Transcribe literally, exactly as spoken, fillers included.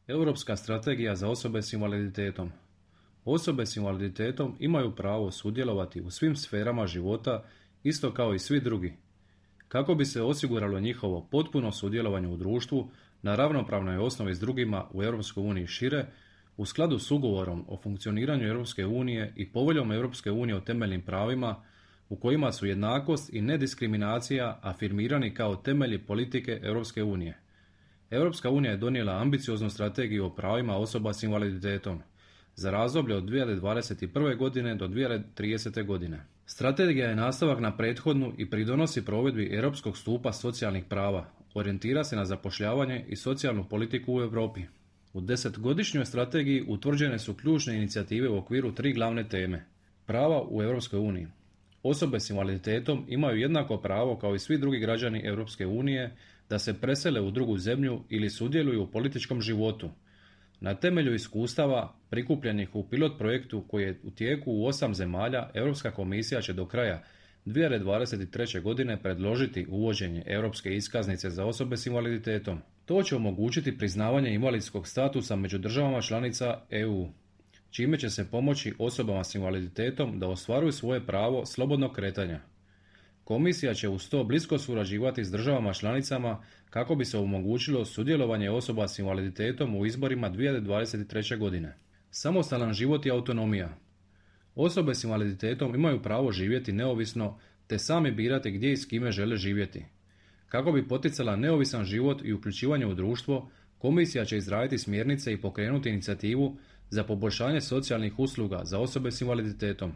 Europska strategija za osobe s invaliditetom. Osobe s invaliditetom imaju pravo sudjelovati u svim sferama života isto kao i svi drugi. Kako bi se osiguralo njihovo potpuno sudjelovanje u društvu na ravnopravnoj osnovi s drugima u Europskoj uniji šire, u skladu s ugovorom o funkcioniranju Europske unije i poveljom Europske unije o temeljnim pravima, u kojima su jednakost i nediskriminacija afirmirani kao temelji politike Europske unije. Europska unija je donijela ambicioznu strategiju o pravima osoba s invaliditetom za razdoblje od dvije tisuće dvadeset prve. godine do dvije tisuće tridesete. godine. Strategija je nastavak na prethodnu i pridonosi provedbi europskog stupa socijalnih prava, orijentira se na zapošljavanje i socijalnu politiku u Europi. U desetgodišnjoj strategiji utvrđene su ključne inicijative u okviru tri glavne teme. Prava u Europskoj uniji. Osobe s invaliditetom imaju jednako pravo kao i svi drugi građani Europske unije da se presele u drugu zemlju ili sudjeluju u političkom životu. Na temelju iskustava prikupljenih u pilot projektu koji je u tijeku u osam zemalja, Europska komisija će do kraja dvije tisuće dvadeset treće. godine predložiti uvođenje Europske iskaznice za osobe s invaliditetom. To će omogućiti priznavanje invalidskog statusa među državama članica E U, čime će se pomoći osobama s invaliditetom da ostvaruju svoje pravo slobodnog kretanja. Komisija će uz to blisko surađivati s državama članicama kako bi se omogućilo sudjelovanje osoba s invaliditetom u izborima dvije tisuće dvadeset treće. godine. Samostalan život i autonomija. Osobe s invaliditetom imaju pravo živjeti neovisno te sami birati gdje i s kime žele živjeti. Kako bi poticala neovisan život i uključivanje u društvo, Komisija će izraditi smjernice i pokrenuti inicijativu za poboljšanje socijalnih usluga za osobe s invaliditetom.